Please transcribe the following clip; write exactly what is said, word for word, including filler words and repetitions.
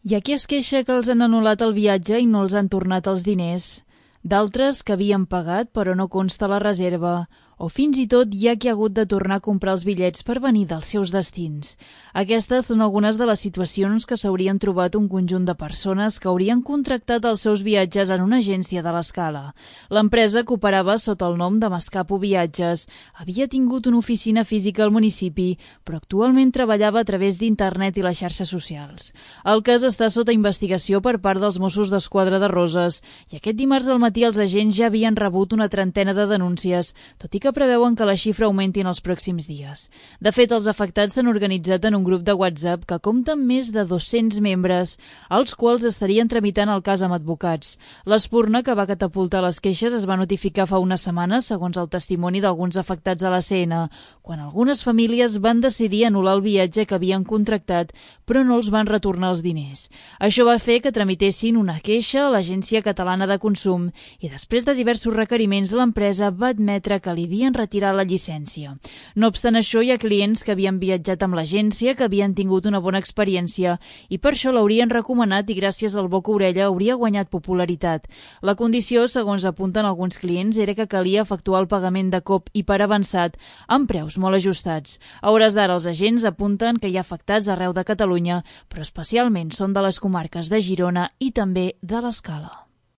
Hi ha qui es queixa que els han anul·lat el viatge i no els han tornat els diners. D'altres que havien pagat però no consta la reserva. O fins i tot hi ha qui ha hagut de tornar a comprar els bitllets per venir dels seus destins. Aquestes són algunes de les situacions que s'haurien trobat un conjunt de persones que haurien contractat els seus viatges en una agència de l'Escala. L'empresa, que operava sota el nom de Mascapo Viatges, havia tingut una oficina física al municipi, però actualment treballava a través d'internet i les xarxes socials. El cas està sota investigació per part dels Mossos d'Esquadra de Roses i aquest dimarts al matí els agents ja havien rebut una trentena de denúncies, tot i que que preveuen que la xifra augmenti en els pròxims dies. De fet, els afectats s'han organitzat en un grup de WhatsApp que compta amb més de dos-cents membres, els quals estarien tramitant el cas amb advocats. L'espurna que va catapultar les queixes es va notificar fa una setmana, segons el testimoni d'alguns afectats a la C N, quan algunes famílies van decidir anul·lar el viatge que havien contractat, però no els van retornar els diners. Això va fer que tramitessin una queixa a l'Agència Catalana de Consum i després de diversos requeriments l'empresa va admetre que li havien retirat la llicència. No obstant això, hi ha clients que havien viatjat amb l'agència, que havien tingut una bona experiència i per això l'haurien recomanat i gràcies al boca-orella hauria guanyat popularitat. La condició, segons apunten alguns clients, era que calia efectuar el pagament de cop i per avançat amb preus molt ajustats. A hores d'ara, els agents apunten que hi ha afectats arreu de Catalunya, però especialment són de les comarques de Girona i també de l'Escala.